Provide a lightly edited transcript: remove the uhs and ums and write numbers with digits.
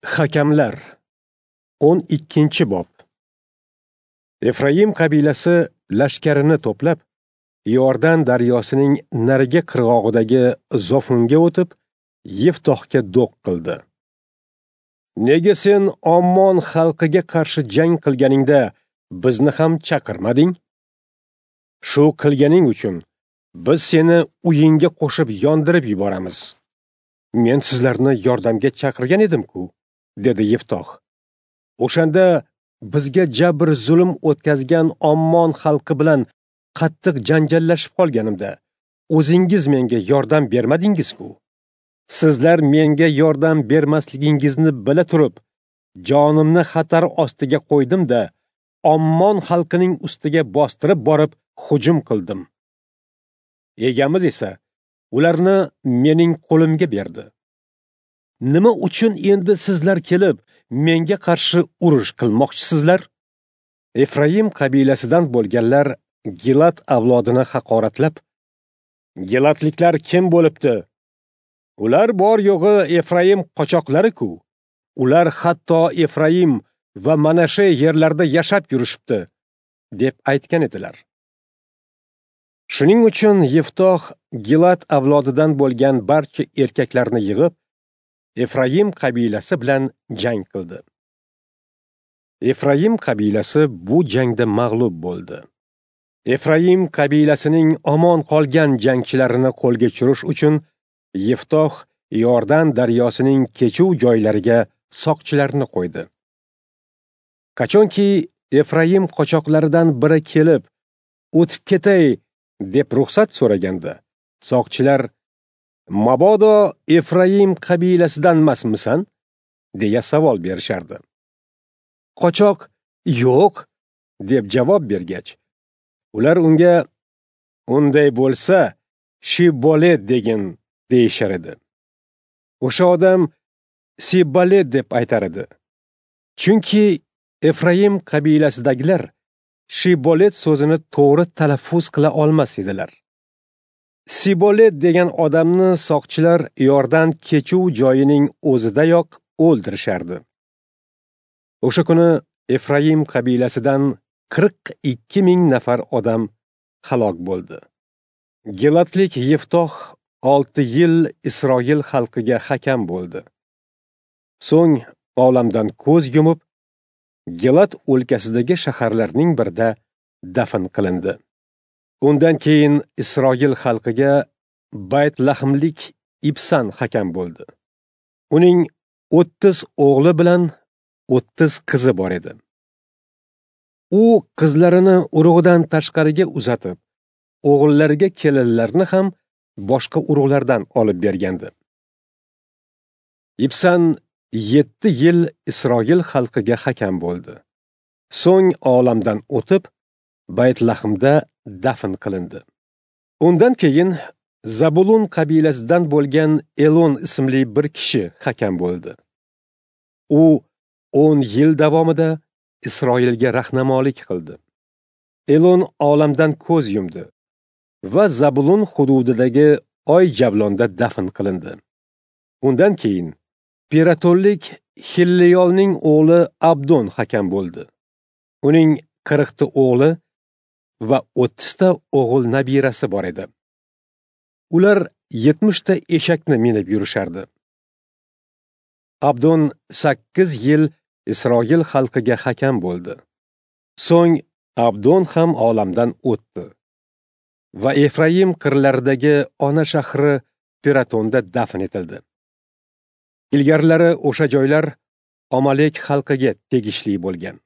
Hakamlar 12-bob. Efraim qabilasi lashkarini to'plab, Yordan daryosining narigi qirg'og'idagi Zofunga o'tib, Yiftohga do'q qildi. Nega sen Ommon xalqiga qarshi jang qilganingda bizni ham chaqirmading? Shu qilganing uchun biz seni uyingga qo'shib yondirib yuboramiz. Men sizlarni yordamga chaqirgan edim-ku, dedi Yiftoh. O'shanda bizga jabr zulm o'tkazgan Ommon xalqi bilan qattiq janjallashib qolganimda o'zingiz menga yordam bermadingiz-ku. Sizlar menga yordam bermasligingizni bila turib, jonimni xatar ostiga qo'ydim-da, Ommon xalqining ustiga bostirib borib hujum qildim. Egamiz esa ularni mening qo'limga berdi. Nima uchun endi sizlar kelib menga qarshi urush qilmoqchisizlar? Efraim qabilasidan bo'lganlar Gilat avlodini haqoratlab, Gilatliklar kim bo'libdi? Ular bor yo'g'i Efraim qochoqlari-ku. Ular hatto Efraim va Manashe yerlarida yashab yurishibdi, deb aytgan edilar. Shuning uchun Yiftoh Gilat avlodidan bo'lgan barcha erkaklarni yig'ib, Efraim qabilasi bilan jang qildi. Efraim qabilasi bu jangda mag'lub bo'ldi. Efraim qabilasining omon qolgan jangchilarini qo'lga tushirish uchun Yiftoh Yordan daryosining kechuv joylariga soqchilarni qo'ydi. Qachonki Efraim qochoqlaridan biri kelib, o'tib ketay deb ruxsat so'raganda, soqchilar "Mabodo Efraim qabilasidan emasmisan?" deya savol berishardi. Qochoq "Yo'q" deb javob bergach, ular unga "Unday bo'lsa, Shibolet degin" deyishar edi. O'sha odam Sibolet deb aytar edi. Chunki Efraim qabilasidagilar Shibolet so'zini to'g'ri talaffuz qila olmas edilar. Sibolet degan odamni soqchilar Yordan kechuv joyining o'zidayoq o'ldirishardi. O'sha kuni Efraim qabilasidan 42 ming nafar odam halok bo'ldi. Gilatlik Yiftoh 6 yil Isroil xalqiga hakam bo'ldi. So'ng olamdan ko'z yumib, Gilat o'lkasidagi shaharlarning birida dafn qilindi. Undan keyin Isroil xalqiga Bayt-Lahmlik Ibsan hakam bo'ldi. Uning 30 o'g'li bilan 30 qizi bor edi. U qizlarini urug'idan tashqariga uzatib, o'g'illariga kelinlarni ham boshqa urug'lardan olib bergandi. Ibsan 7 yil Isroil xalqiga hakam bo'ldi. So'ng olamdan o'tib, Bayt-Lahmda dafn qilindi. Undan keyin Zabulun qabilasidan bo'lgan Elon ismli bir kishi hakam bo'ldi. U 10 yil davomida Isroilga rahnamolik qildi. Elon olamdan ko'z yumdi va Zabulun hududidagi Oy Javlonda dafn qilindi. Undan keyin Piratonlik Hilliyolning o'g'li Abdon hakam bo'ldi. Uning 40 ta o'g'li va 30 ta o'g'il nabirasi bor edi. Ular 70 ta eshakni minib yurishardi. Abdon 8 yil Isroil xalqiga hakam bo'ldi. So'ng Abdon ham olamdan o'tdi va Efraim qirlaridagi ona shahri Piratonda dafn etildi. Ilgarilari o'sha joylar Amalek xalqiga tegishli bo'lgan.